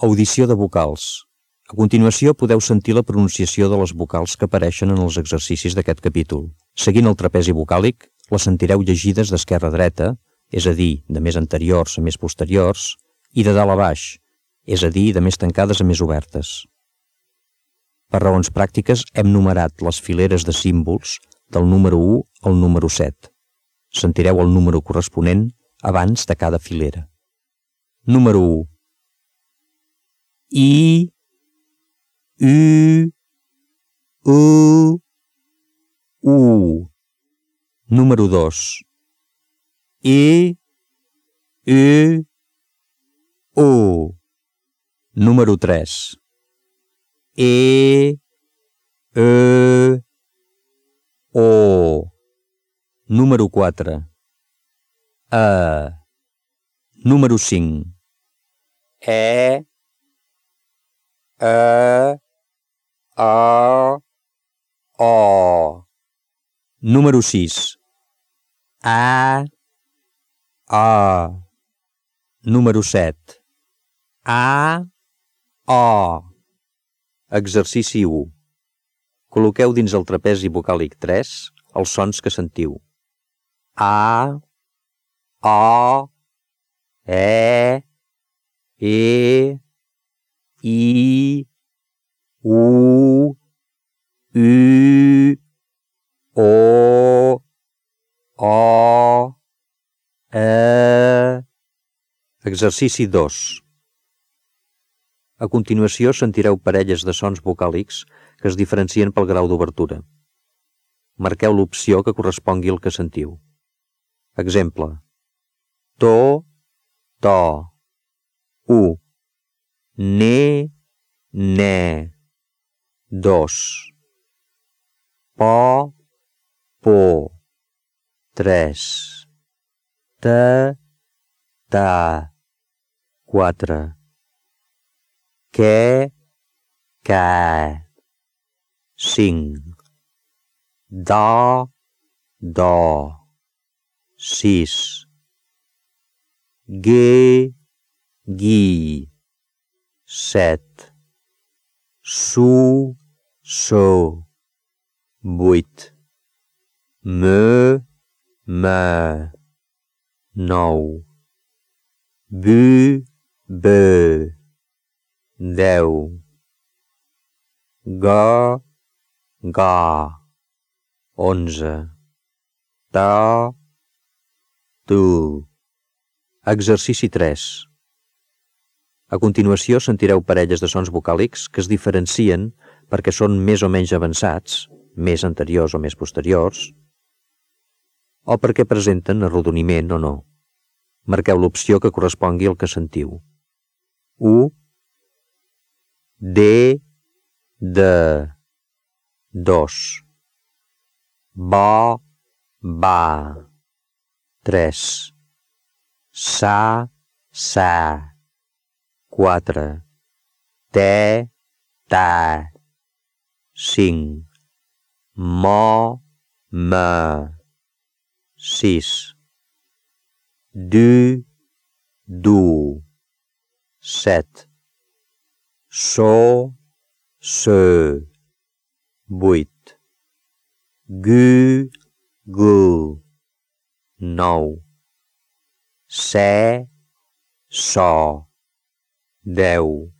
Audició de vocals. A continuació podeu sentir la pronunciació de les vocals que apareixen en els exercicis d'aquest capítol. Seguint el trapezi vocàlic, les sentireu llegides d'esquerra a dreta, és a dir, de més anteriors a més posteriors, i de dalt a baix, és a dir, de més tancades a més obertes. Per raons pràctiques hem numerat les fileres de símbols del número 1 al número 7. Sentireu el número corresponent abans de cada filera. Número 1. I, U, U, U. Número 2. I, U, U. Número 3. E, O. Número 4. A. Número 5. E, A, O. Número 6. A, Número 7. A, O. Exercici 1. Col·loqueu dins el trapezi vocàlic 3 els sons que sentiu. A, O, E, I, U, O, Exercici 2. A continuació sentireu parelles de sons vocàlics que es diferencien pel grau d'obertura. Marqueu l'opció que correspongui al que sentiu. Exemple: to, u, ne, dos, po, tres, ta, quatre, que, cinc, do, sis, ge, set, su, vuit, me, nou, bu, deu, ga, 11, ta, tu. Exercici 3. A continuació sentireu parelles de sons vocàlics que es diferencien perquè són més o menys avançats, més anteriors o més posteriors, o perquè presenten arrodoniment o no. Marqueu l'opció que correspongui al que sentiu. U, de, dos, ba, tres, sa, quatre, te, cinc, mo, sis, du, set, so, vuit, gu, nou, se, so, deu,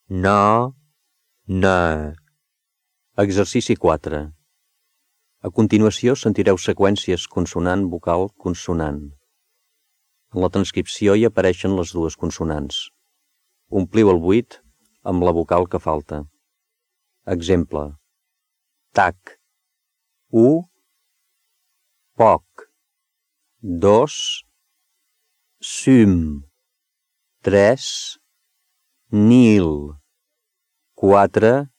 na. Exercici 4. A continuació sentireu seqüències consonant-vocal-consonant. En la transcripció hi apareixen les dues consonants. Ompliu el buit amb la vocal que falta. Exemple: tac, u, poc, dos, sum, tres, nil, quatre,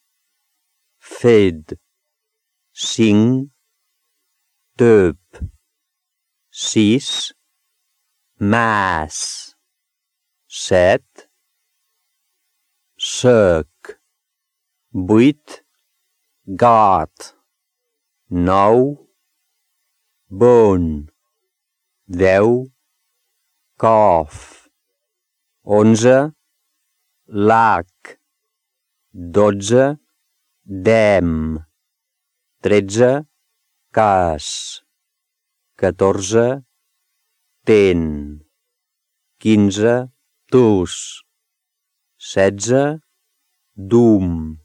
fed, cinc, töp, sis, mas, set, sec, vuit, got, nou, bon, deu, cof, 11, lac, 12, dem, 13, cas, 14, ten, 15, tus, 16, dum,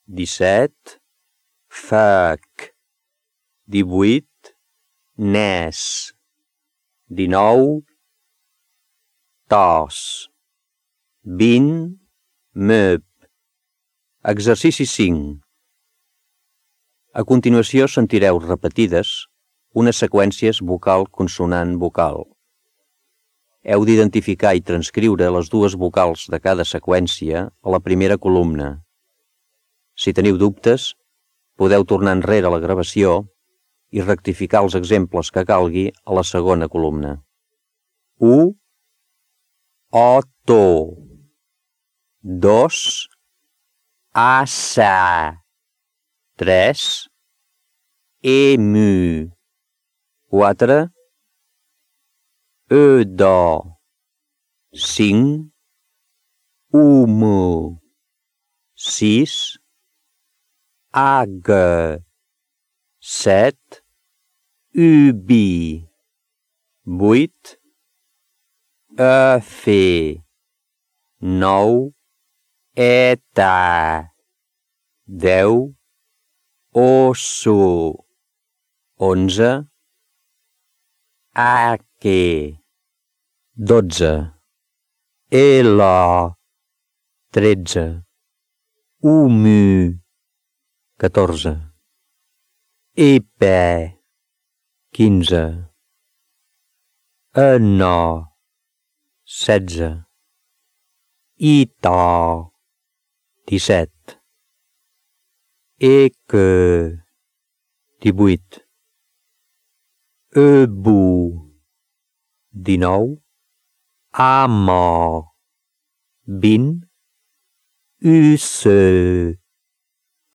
17, fac, 18, nes, 19, tos, 20, meup. Exercici 5. A continuació sentireu repetides unes seqüències vocal-consonant-vocal. Heu d'identificar i transcriure les dues vocals de cada seqüència a la primera columna. Si teniu dubtes, podeu tornar enrere la gravació i rectificar els exemples que calgui a la segona columna. U, o, to. 2, a, sa. 3, emu. 4, do. 5, humo. 6, ag. 7, ubi. 8, fe. 9, eta. 10, osso. 11, aque. 12, ela. 13, humu. 14, epe. 15, no. 16, ita. 17, que. 18, ebu. 19, amo. 20, usse.